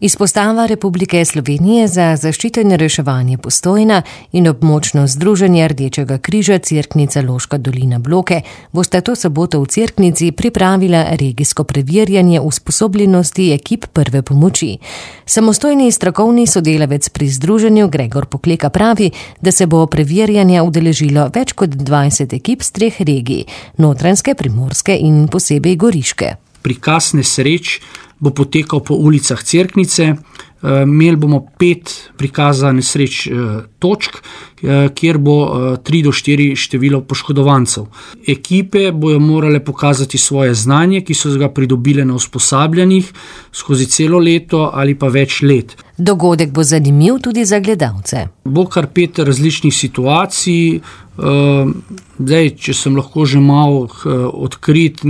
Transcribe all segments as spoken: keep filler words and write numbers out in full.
Izpostava Republike Slovenije za zaščito in reševanje Postojna in območno združenje Rdečega križa Cerknica Loška dolina Bloke bosta to soboto v Cerknici pripravila regijsko preverjanje usposobljenosti ekip prve pomoči. Samostojni strokovni sodelavec pri združenju Gregor Pokleka pravi, da se bo preverjanja udeležilo več kot dvajset ekip z treh regij, Notranjske, Primorske in posebej Goriške. Prikaz nesreč bo potekal po ulicah Cerknice. Imeli bomo pet prikaza nesreč točk, kjer bo tri do štiri število poškodovancev. Ekipe bojo morale pokazati svoje znanje, ki so ga pridobile na usposabljanjih skozi celo leto ali pa več let. Dogodek bo zanimiv tudi za gledalce. Bo kar pet različnih situacij. Zdaj, če sem lahko že malo odkrit,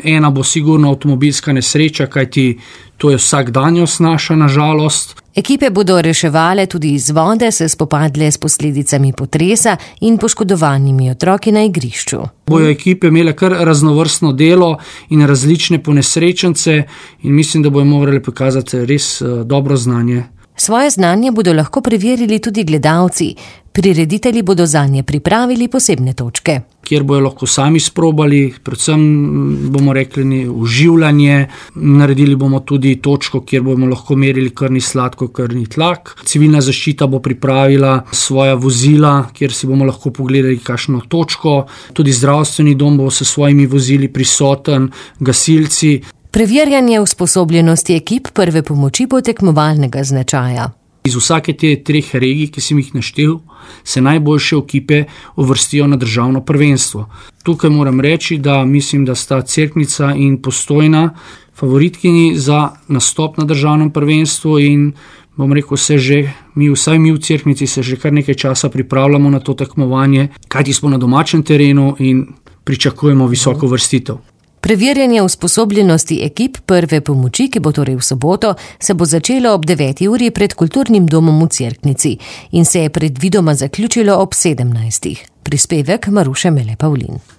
ena bo sigurno avtomobilska nesreča, kajti to je vsakdanjost naša, na žalost. Ekipe bodo reševale tudi iz vode, se spopadle s posledicami potresa in poškodovanimi otroki na igrišču. Bojo ekipe imele kar raznovrstno delo in različne ponesrečence in mislim, da bojo morali pokazati res dobro znanje. Svoje znanje bodo lahko preverili tudi gledalci. Prireditelji bodo zanje pripravili posebne točke, kjer bojo lahko sami sprobali, predvsem bomo rekli uživljanje. Naredili bomo tudi točko, kjer bomo lahko merili krvni sladkor, krvni tlak. Civilna zaščita bo pripravila svoja vozila, kjer si bomo lahko pogledali kakšno točko. Tudi zdravstveni dom bo s svojimi vozili prisoten, gasilci. Preverjanje usposobljenosti ekip prve pomoči bo tekmovalnega značaja. Iz vsake te treh regij, ki sem jih naštel, se najboljše ekipe uvrstijo na državno prvenstvo. Tukaj moram reči, da mislim, da sta Cerknica in Postojna favoritkini za nastop na državnem prvenstvu in bom rekel, se že, mi, vsaj mi v Cerknici se že kar nekaj časa pripravljamo na to tekmovanje, kajti smo na domačem terenu in pričakujemo visoko uvrstitev. Preverjanje usposobljenosti ekip prve pomoči, ki bo torej v soboto, se bo začelo ob deveti uri pred kulturnim domom v Cerknici in se je predvidoma zaključilo ob sedemnajstih. Prispevek Maruše Mele Pavlin.